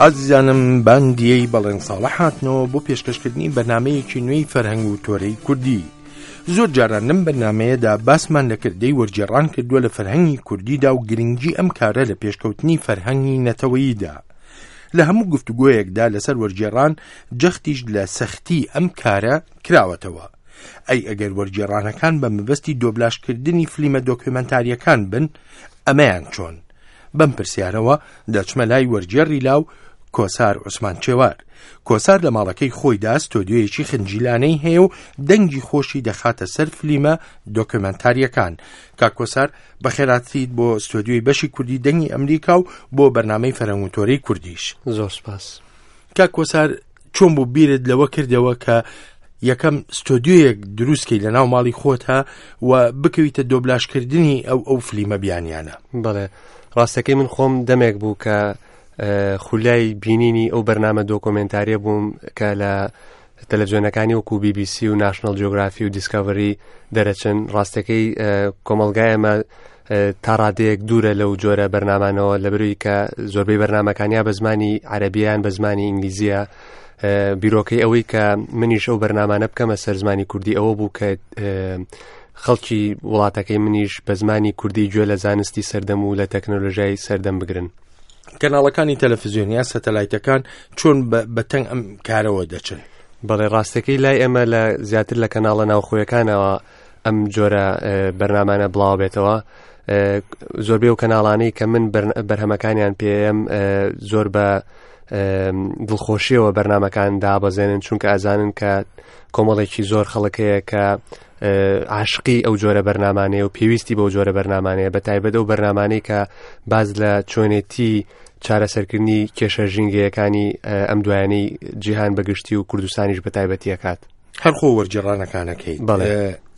ئازیزانم باندیەی بەڵێن ساڵح هاتنەوە بۆ پێشکەشکردنی بەرنامەیەکی نوێی فەرهەنگ و تۆرەی کوردی. زۆر جاران لەم بەرنامەیەدا باسمان لە کردەی وەرگێڕان کردووە لە فەرهەنگی کوردیدا و گرنگی ئەم کارە لە پێشکەوتنی فەرهەنگی نەتەوەییدا. لە هەموو گفتوگۆیەکدا لەسەر وەرگێڕان جەختیش لە سەختی ئەم کارە کراوەتەوە. ئەی ئەگەر وەرگێڕانەکان بە مەبەستی دۆبلاژکردنی فلیمە دۆکیۆمەنتارییەکان بن، ئەمەیان چۆن؟ بەم پرسیارەوە دەچمە لای وەرگێڕی لاو کۆسار عوسمان چێوار. کۆسار لە ماڵەکەی خۆیدا ستۆدیۆیەکی خنجیلانەی هەیە و دەنگی خۆشی دەخاتە سەر فلیمە دۆکیۆمەنتارییەکان. کاک کۆسار بەخێراتیت بۆ ستۆدیۆی بەشی کوردی دەنگی ئەمریکا و بۆ بەرنامەی فەرهەنگ و تۆرەی کوردیش. زۆر سپاس. کاک کۆسار چۆن بوو بیرت لەوە کردەوە کە یەکەم ستۆدیۆیەک دروستکەی لە ناو ماڵی خۆتا و بکەویتە دۆبلاشکردنی ئەو ئەو فلیمە بیانیانە؟ بەڵێ ڕاستەکەی من خۆم دەمێک بوو کە خولیای بینینی ئەو بەرنامە دۆکۆمێنتاریە بووم کە لە تەلەڤزیۆنەکانی وەکو BBC و ناشنەڵ جیۆگرافی و دیسکاڤری دەرەچن ڕاستەکەی کۆمەڵگای ئەمە تا ڕادەیەک دوورە لەو جۆرە بەرنامانەوە لە بروی کە زۆربەی بەرنمەکانیا بە زمانی عەربیان بە زمانی ئینگلیزیە بیرۆکەی ئەوەی کە منیش ئەو بەرنمانە بکەمە سەر زمانی کوردی ئەوە بوو کە خەڵکی وڵاتەکەی منیش بە زمانی کوردی گوێ لە زانستی سەردەم و لە تەکنۆلۆژیای سەردەم بگرن. کەناڵەکانی تەلەفزیۆن یا سەتەلایتەکان چۆن بە تەنگ ئەم کارەوە دەچن؟ بەڵێ ڕاستەکەی لای ئێمە لە زیاتر لە کەناڵە ناوخۆیەکانەوە ئەم جۆرە بەرنامانە بڵاو بێتەوە زۆربەی و کەناڵانەی کە من بەرهەمەکانیان پێم زۆر بە دڵخۆشیەوە بەرنمەکان دابەزێنن چونکە ئەزانن کە کۆمەڵێکی زۆر خەڵکەیە کە عاشقی ئەو جۆرە بەرنمانەیە و پێویستی بەو جۆرە بەرنمانەیە بە تایبەت ئەو بەرنمانەی کە باز لە چۆنێتی چارەسەرکردنی کێشە ژینگەیەکانی ئەم دوایانەی جیهان بەگشتی و کوردستانیش بە تایبەتیەکات. هەر خۆ وەرگێڕانەکانەکەی بەڵێ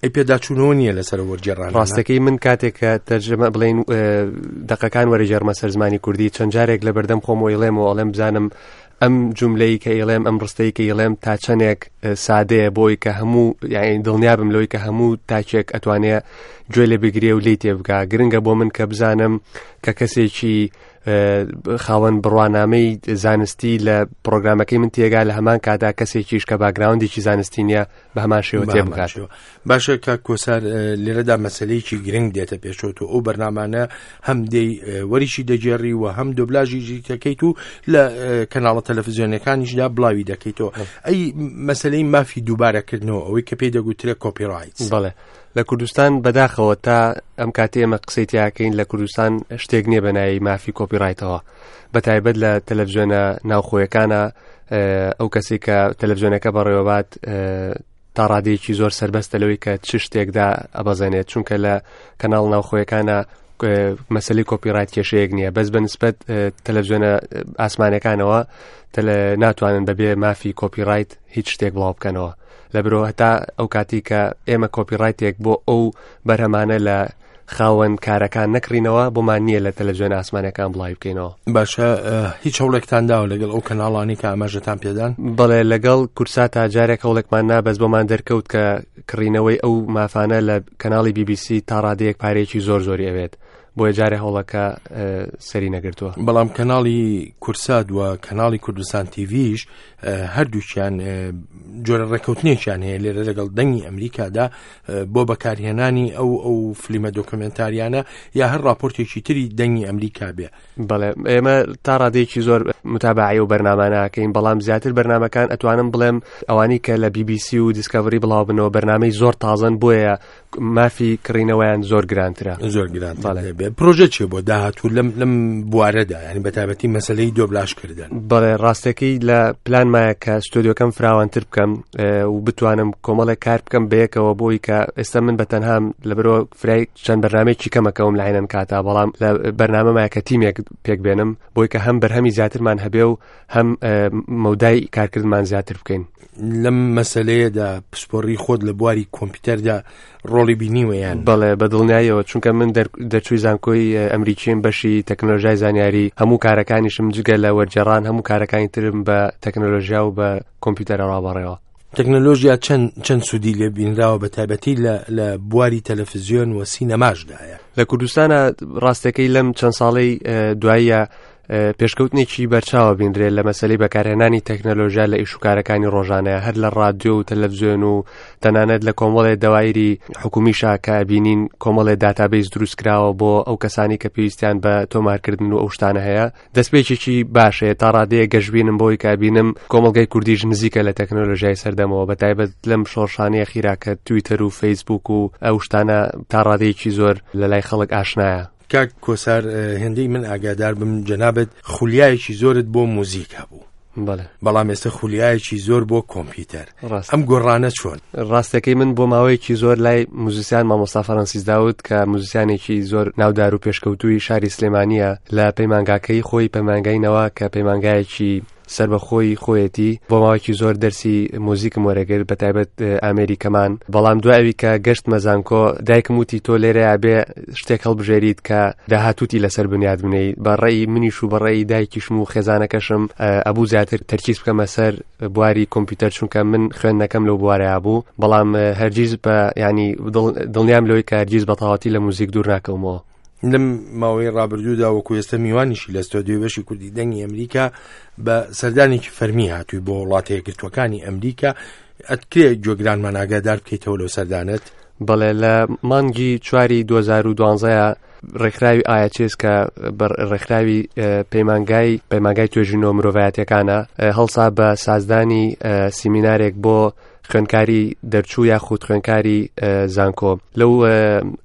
ئەی پێداچوونەوە نییە لەسەر وەرگێڕان ڕاستەکەی من کاتێک کە تەرجمە بڵین دەقەکان وەرەگێڕمە سەر زمانی کوردی چەند جارێک لە بەردەم خۆم ئەیڵێم و ئەڵێم بزانم ئەم جوملەی کە ئیڵێم ئەم ڕستەی کە ئیڵێم تا چەندێک سادەیە بۆی کە هەموو یاین دڵنیا بم لەوەی کە هەموو تاکێک ئەتوانێ گوێ لێ بگرێ و لی تێبگا گرنگە بۆ من کە بزانم کە کەسێکی خاوەن بڕوانامەی زانستی لە پرۆگرامەکەی من تێگا لە هەمان کادا کەسێکیش کە باگراوندێکی زانستی نییە بە هەمان شێوە تێ بگات باشە کاک کۆسار لێرەدا مەسلەیەکی گرنگ دێتە پێشەوە تۆ ئەو بەرنامانە هەم دێی وەریشی دەگێڕی و هەم دۆبلاژی دەکەیت و لە کەناڵە تەلەفزیۆنەکانیشدا بڵاوی دەکەیتەوە ئەی مەسلەی مافی دووبارەکردنەوە ئەوەی کە پێی دەگوترێ کۆپیڕایت بەڵێ لە کوردستان بەداخەوە تا ئەم کاتی ئێمە قسەی تیاکەین لە کوردستان شتێک نییە بە ناوی مافی کۆپیڕایتەوە بە تایبەت لە تەلەڤزیۆنە ناوخۆیەکانە ئەو کەسی کە تەلەڤزیۆنەکە بەڕێوەبات تا ڕادەیەکی زۆر سربەستە لەوەی کە چ شتێکدا ئەبەزێنێت چونکە لە کەناڵ ناوخۆیەکانە مەسلی کۆپیڕایت کێشەیەک نییە بەس بە نسبەت تەلەڤزیۆنە ئاسمانەکانەوە ناتوانن بەبێ مافی کۆپیڕایت هیچ شتێک بڵاو بکەنەوە لە برۆ هەتا ئەو کاتی کە ئێمە کۆپیڕایتێک بۆ ئەو بەرهەمانە لە خاوەن کارەکان نەکڕینەوە بۆمان نییە لە تەلەڤزیۆن ئاسمانەکان بڵاوی بکەینەوە. باشە هیچ هەوڵێکتان داوە لەگەڵ ئەو کەناڵانی کە ئاماژەتان پێدان؟ بەڵێ لەگەڵ کورساتا جارێک هەوڵێکمان نا بەس بۆمان دەرکەوت کە کڕینەوەی ئەو مافانە لە کەناڵی BBC تا ڕادەیەک پارەیەکی زۆر زۆری ئەوێت بۆیە جارێ هەوڵەکە سەری نەگرتووە. بەڵام کەناڵی کورسات و کەناڵی کوردستان تیڤیش هەردووکیان جۆرە ڕێککەوتنێکیان هەیە لێرە لەگەڵ دەنگی ئەمریکادا بۆ بەکارهێنانی ئەو ئەو فلیمە دۆکمنتاریانە یا هەر راپۆرتێکی تری دەنگی ئەمریکا بێ. بەڵێ ئێمە تا ڕادەیەکی زۆر متابعی و بەرنامانەکەین بەڵام زیاتر بەرنمەکان ئەتوانم بڵێم ئەوانی کە لە BBC و دیسکەڤری بڵاو بنەوە بەرنمەی زۆر تازن بۆیە مافی کڕینەوەیان زۆر گرانترە زۆر گرانتر بێ پرۆژە چێ بۆ داهاتوو لەم لەم بوارەدا ینی بە تایبەتی مەسلەی دۆبلاش کردن بەڵێ ڕاستەکەی لە پلان مایە کە ستۆدیۆکەم فراوانتر بکەم و بتوانم کۆمەڵێک کار بکەم بەیەکەوە بۆی کە ئێستا من بە تەنهام لە برۆ فرای چەند بەرنمەیەکی کەمەکەوم لە عینەن کاتا بەڵام لە بەرنامەمایە کە تیمێک پێک بێنم بۆی کە هەم بەرهەمی زیاترمان هەبێ و هەم مەودای کارکردمان زیاتر بکەین. لەم مەسەلەیەدا پسپۆڕی خۆت لە بواری کۆمپیوتەردا ڕۆڵی بینیوە یان؟ بەڵێ بە دڵنیاییەوە چونکە من دەرچووی زانکۆی ئەمریکیم بەشی تەکنۆلۆژیای زانیاری هەموو کارەکانیشم جگە لە وەرگێڕان هەموو کارەکانی ترم بە تەکنۆلۆژیا و بە کۆمپیوتەرەوە بەڕێوە. تەکنەلۆژیا چەند چەند سوودی لێ بینراوە بە تایبەتی لە لە بواری تەلەفزیۆن و سینەماشدایە؟ لە کوردستانە ڕاستەکەی لەم چەند ساڵەی دواییە پێشکەوتنێکی بەرچاوە بینرێت لە مەسەلەی بەکارهێنانی تەکنەلۆژیا لە ئیشوکارەکانی ڕۆژانەیە هەر لە ڕادیۆ و تەلەڤزیۆن و تەنانەت لە کۆمەڵێ دەوایری حکومیشا کە بینین کۆمەڵێ داتابیس دروست کراوە بۆ ئەو کەسانی کە پێویستیان بە تۆمارکردن و ئەو شتانە هەیە دەستپێکێکی باشەیە تا ڕادەیە گەشببینم بۆی کە بینم کۆمەڵگای کوردیش نزیکە لە تەکنەلۆژیای سەردەمەوە بە تایبەت لەم شۆڕشانەیە خیرا کە تویتەر و فەیسبوک و ئەو شتانە تا ڕادەیەکی زۆر لە لای خەڵک ئاشنایە. کاک کۆسار هێندەی من ئاگادار بم جەنابت خولیایەکی زۆرت بۆ موزیک هەبوو بەڵێ بەڵام ئێستا خولیایەکی زۆر بۆ کۆمپیوتەر ڕاست ئەم گۆڕانە چۆن؟ ڕاستەکەی من بۆ ماوەیەکی زۆر لای موزیسیان مامۆستا فەرەنسیس داود کە موزیسیانێکی زۆر ناودار و پێشکەوتووی شاری سلێمانییە لە پەیمانگاکەی خۆی پەیمانگای نەوا کە پەیمانگایەکی سەربەخۆی خۆیەتی بۆ ماوەیەکی زۆر دەرسی موزیکم وەرەگرت بە تایبەت ئامێری کەمان بەڵام دوای ئەوی کە گەشتمە زانکۆ دایکم وتی تۆ لێرەیا بێ شتێک هەڵبژێریت کە داهاتووتی لەسەر بنیات بنێی بە ڕێی منیش و بە ڕێی دایکیشم و خێزانەکەشم ئەبوو زیاتر تەرکیز بکەمە سەر بواری کۆمپیوتەر چونکە من خوێندنەکەم لەو بوارەیا بوو بەڵام هەرگیز بە ینی دڵنیام لەوەی کە هەرگیز بە تەواوەتی لە موزیک دوور ناکەومەوە. لەم ماوەی ڕابردوودا وەکو ئێستا میوانیشی لە ستۆدیۆی بەشی کوردی دەنگی ئەمریکا بە سەردانێکی فەرمی هاتووی بۆ وڵاتە یەکگرتووەکانی ئەمریکا ئەتکرێ گوێگرانمان ئاگادار بکەیتەوە لەو سەردانت؟ بەڵێ لە مانگی چواری 2012 ڕێکخراوی ئاچێس کە ڕێکخراوی پەیمانگای پەیمانگای توێژینەوە مرۆڤایەتەکانە هەڵسا بە سازدانی سیمینارێک بۆ خوێنکاری دەرچوو یاخود خوێنکاری زانکۆ لەو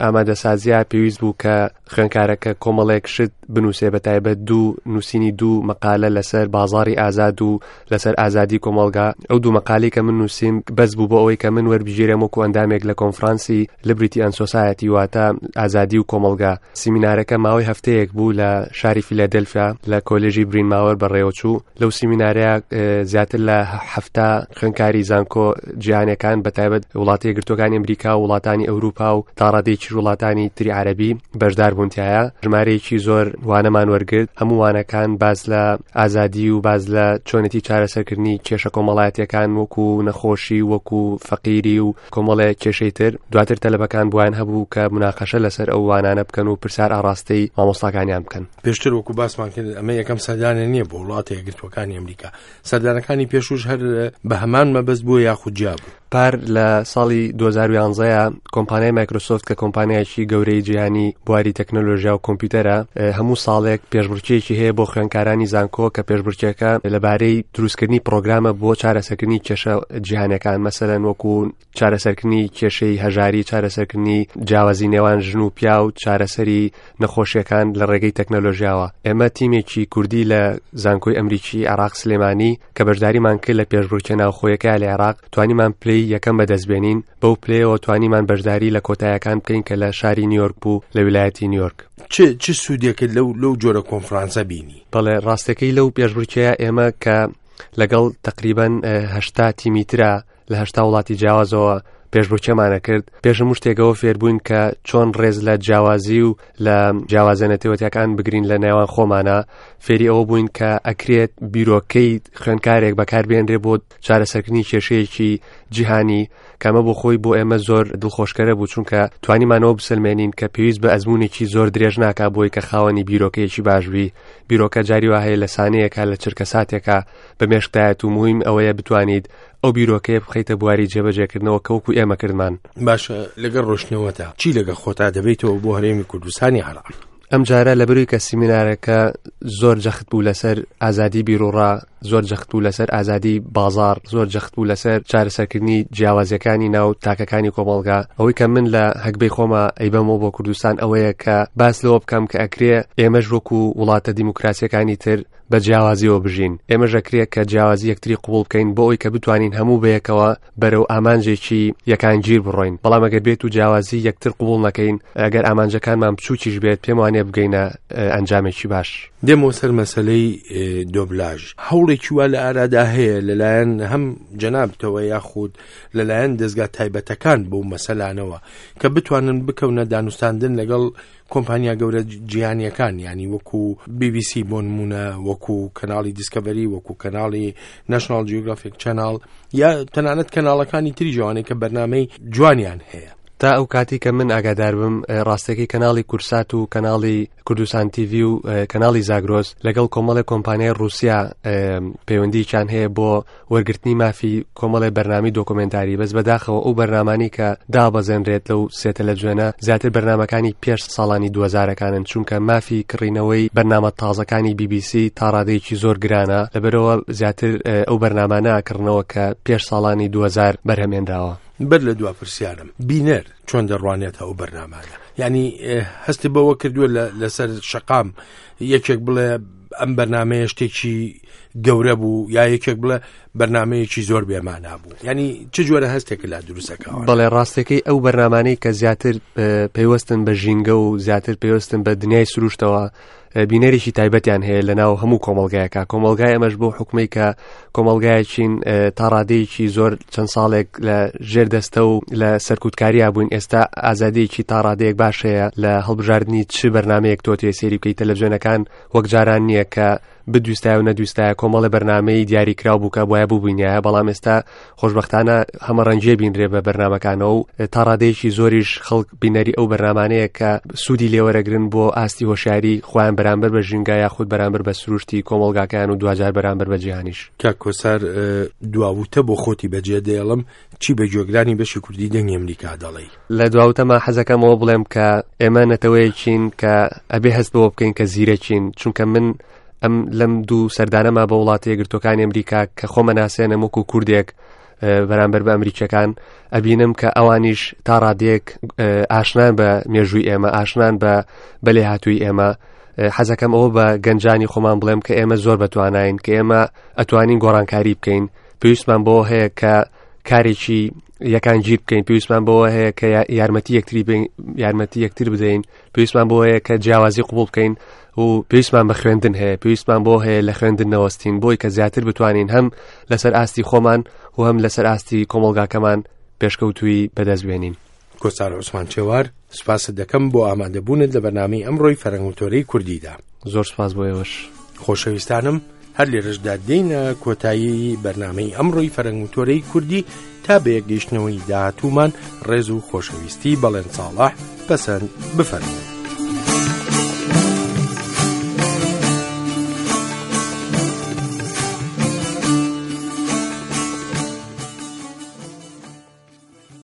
ئامادەسازیە پێویست بوو کە خوێنکارەکە کۆمەڵێک شت بنووسێ بە تایبەت دوو نووسینی دوو مەقالە لەسەر بازاری ئازاد و لەسەر ئازادی کۆمەڵگا ئەو دوو مەقالی کە من نووسیم بەس بوو بۆ ئەوەی کە من وەربگیرێم وەکو ئەندامێک لە کۆنفرانسی لبریتی ئەن سۆسایەتی واتە ئازادی و کۆمەڵگا سیمینارەکە ماوەی هەفتەیەک بوو لە شاری فیلادلفیا لە کۆلێژی برین ماوەر بەڕێوەچوو لەو سیمینارەیە زیاتر لە هەفتا خوێنکاری زانکۆ جیهانەکان بە تایبەت وڵاتی یەکگرتووەکانی ئەمریکا و وڵاتانی ئەوروپا و تاڕادەیەکی وڵاتانی تری عەربی بەشدار بوونتایە ژمارەیەکی زۆر وانەمان وەرگرت هەموو وانەکان باز لە ئازادی و باز لە چۆنێتی چارەسەرکردنی کێشە کۆمەڵایەتیەکان وەکو نەخۆشی وەکو فەقیری و کۆمەڵێک کێشەی تر دواتر تەلەبەکان بوان هەبوو کە مناقەشە لەسەر ئەو وانانە بکەن و پرسیار ئاڕاستەی مامۆستاکانیان بکەن. پێشتر وەکو باسمان کرد ئەمە یەکەم سەردانە نییە بۆ وڵاتە یەکگرتووەکانی ئەمریکا، سەردانەکانی پێشووش هەر بە هەمان مەبەست بووە یاخود جیا بوو؟ پار لە ساڵی 2011 کۆمپانیای مایکرۆسۆفت کە کۆمپانیایەکی گەورەی جیهانی بواری تەکنەلۆژیا و کۆمپیوتەرە هەموو ساڵێک پێشبڕکێیەکی هەیە بۆ خوێندکارانی زانکۆ کە پێشبڕکێکە لەبارەی دروستکردنی پرۆگرامە بۆ چارەسەرکردنی کێشە جیهانەکان مەسەلەن وەکو چارەسەرکردنی کێشەی هەژاری چارەسەرکردنی جیاوازی نێوان ژن و پیا و چارەسەری نەخۆشیەکان لە ڕێگەی تەکنەلۆژیاوە ئێمە تیمێکی کوردی لە زانکۆی ئەمریکی عراق سلێمانی کە بەشداریمان کرد لە پێشبڕکێ ناوخۆیەکە لە عێراق توانیمان پلەی یەکەم بەدەستبێنین بەو پلەیەوە توانیمان بەشداری لە کۆتایەکان بکەین کە لە شاری نیویۆرک بوو لە ویلایەتی نیویۆرک. چ چ سوودێکت لەو لەو جۆرە کۆنفرانسە بینی؟ بەڵێ ڕاستەکەی لەو پێشبڕکێیە ئێمە کە لەگەڵ تەقریبەن هەشتا تیمی ترا لە هەشتا وڵاتی جیاوازەوە پێشبڕکێمانە کرد پێش هەموو شتێکەوە فێربووین کە چۆن ڕێز لە جیاوازی و لە جیاوازە نەتەوەتیەکان بگرین لە نێوان خۆمانە فێری ئەوە بووین کە ئەکرێت بیرۆکەی خوێندکارێک بەکاربێنرێ بۆ چارەسەرکردنی کێشەیەکی جیهانی کەمە بۆ خۆی بۆ ئێمە زۆر دڵخۆشکەرە بوو چونکە توانیمانەوە بسەلمێنین کە پێویست بە ئەزمونێکی زۆر درێژ ناکا بۆی کە خاوەنی بیرۆکەیەکی باش بی بیرۆکە جاری وا هەیە لە سانەیەکە لە چرکە ساتێکە بە مێشکدایەت و موهیم ئەوەیە بتوانیت ئەو بیرۆکەیە بخەیتە بواری جێبەجێکردنەوە کە وەکو ئێمە کردمان. باشە لەگەڵ ڕۆشتنەوەتا چی لەگەڵ خۆتا دەبەیتەوە بۆ هەرێمی کوردستانی عێراق؟ ئەم جارە لەبەروی کە سیمینارەکە زۆر جەخت بوو لەسەر ئازادی بیروڕا، زۆر جەخت بوو لەسەر ئازادی بازاڕ، زۆر جەخت بوو لەسەر چارەسەرکردنی جیاوازیەکانی ناو تاکەکانی کۆمەڵگا، ئەوەی کە من لە هەگبەی خۆما ئەیبەمەوە بۆ کوردستان ئەوەیە کە باس لەوە بکەم کە ئەکرێ ئێمەش وەکو وڵاتە دیموکراسیەکانی تر بە جیاوازیەوە بژین، ئێمەش ئەکرێ کە جیاوازی یەکتری قبوڵ بکەین بۆ ئەوەی کە بتوانین هەموو بەیەکەوە بەرەو ئامانجێکی یەکانگیر بڕۆین، بەڵام ئەگەر بێت و جیاوازی یەکتر قبوڵ نەکەین، ئەگەر ئامانجەکانمان بچووکیش بێت، پێم وانیە بگەینە ئەنجامێکی باش. دێمەوە سەر مەسەلەی دۆبلاژ، هەوڵێکی وا لە ئارادا هەیە لەلایەن هەم جەنابتەوە یاخود لەلایەن دەزگا تایبەتەکان بەو مەسەلانەوە کە بتوانن بکەونە دانوستاندن لەگەڵ کۆمپانیا گەورە جیهانیەکان یانی وەکو بی بی سی بۆ نمونە وەکو کەناڵی دیسکەڤەری وەکو کەناڵی ناشناڵ جیۆگرافیک چەناڵ یا تەنانەت کەناڵەکانی تری جوانەی کە بەرنمەی جوانیان هەیە. تا ئەو کاتی کە من ئاگادار بم ڕاستەکەی کەناڵی کورسات و کەناڵی کوردستان تیڤی و کەناڵی زاگرۆس لەگەڵ کۆمەڵی کۆمپانیای رووسیا پەیوەندیکیان هەیە بۆ وەرگرتنی مافی کۆمەڵی بەرنامی دۆکۆمنتاری بەس بەداخەوە ئەو بەرنامانی کە دابەزێنرێت لەو سێ تەلەڤزیۆنە زیاتر بەرنمەکانی پێش ساڵانی دووەزارەکانن چونکە مافی کڕینەوەی بەرنامە تازەکانی BBC تا ڕادەیەکی زۆر گرانە لەبەرەوە زیاتر ئەو بەرنامانە کڕنەوە کە پێش ساڵانی 2000 بەرهەمێنراوە. بەر لە دوا پرسیارم بینەر چۆن دەڕوانێتە ئەو بەرنامانە یعنی هەستی بەوە کردووە لەسەر شەقام یەکێک بڵێ ئەم بەرنمەیە شتێکی گەورە بوو یا یەکێک بڵێ بەرنمەیەکی زۆر بێمانا بوو ینی چ جۆرە هەستێک لا دروستەکەەوە بەڵێ ڕاستەکەی ئەو بەرنمانەی کە زیاتر پەیوەستن بە ژینگە و زیاتر پەیوەستن بە دنیای سروشتەوە بینەرێکی تایبەتیان هەیە لە ناو هەموو کۆمەڵگایەکە کۆمەڵگای ئەمەش بۆ حکومەی کە کۆمەڵگایەکین تا ڕادەیەکی زۆر چەند ساڵێک لە ژێر دەستە و لە سەرکوتکاریا بووین ئێستا ئازادیەکی تا ڕادەیەک باش هەیە لە هەڵبژاردننی چ بەرنمەیەک تۆ تێ سێری بکەیت تەلەڤزیۆنەکان وەک جاران نییە کە بدویستایە و نەدویستایە کۆمەڵی بەرنمەی دیاریکراو بوو کە بواە ببووینایە بەڵام ئێستا خۆشبەختانە هەمەڕەنگیە بینرێ بە بەرنامەکانەوە و تا ڕادەیەکی زۆریش خەڵک بینەری ئەو بەرنامانەیە کە سوودی لێوەرەگرن بۆ ئاستی هۆشیاری خۆیان بەرامبەر بە ژینگە یاخود بەرامبەر بە سروشتی کۆمەڵگاکەیان و دواجار بەرامبەر بە جیهانیش. کاک کۆسار دواوتە بۆ خۆتی بەجێ دێڵم چی بە گوێگرانی بەشی کوردی دەنگی ئەمریکا دەڵێی؟ لە دواوتەما حەزەکەم ئەوە بڵێم کە ئێمە نەتەوەیەکین کە ئەبێ هەست بەوە بکەین کە زیرەکین چونکە من ئەم لەم دوو سەردانەما بە وڵاتە یەکگرتووەکانی ئەمریکا کە خۆمە ناسێنم وەکو کوردێک بەرامبەر بە ئەمریکیەکان ئەبینم کە ئەوانیش تا ڕادەیەک ئاشنان بە مێژووی ئێمە ئاشنان بە بەلێ هاتووی ئێمە حەزەکەم ئەوە بە گەنجانی خۆمان بڵێم کە ئێمە زۆر بەتوانین کە ئێمە ئەتوانین گۆڕانکاری بکەین پێویستمان بۆ هەیە کە کارێکی یەکان گیر بکەین پێویستمان بەوە هەیە کە یارمەتی یەکتری یارمەتی یەکتر بدەین پێویستمان بۆ هەیە کە جیاوازی قوبول بکەین و پێویستمان بە خوێندن هەیە پێویستمان بۆ هەیە لە خوێندن نەوەستین بۆی کە زیاتر بتوانین هەم لەسەر ئاستی خۆمان و هەم لەسەر ئاستی کۆمەڵگاکەمان پێشکەوتووی بەدەست بێنین. کۆسار عوسمان چێوار، سوپاست دەکەم بۆ ئامادەبوونت لە بەرنامەی ئەمڕۆی فەرەنگ و تۆرەی کوردیدا. زۆر سوپاس بۆ ئێوەش. خۆشەویستانم هەر لێرەشدا دێینە کۆتایی بەرنامەی ئەمڕۆی فەرەنگ و تۆرەی کوردی تا بە یەکگەیشتنەوەی داهاتوومان ڕێز و خۆشەویستی بەڵێن ساڵح پەسەند بفەرموو.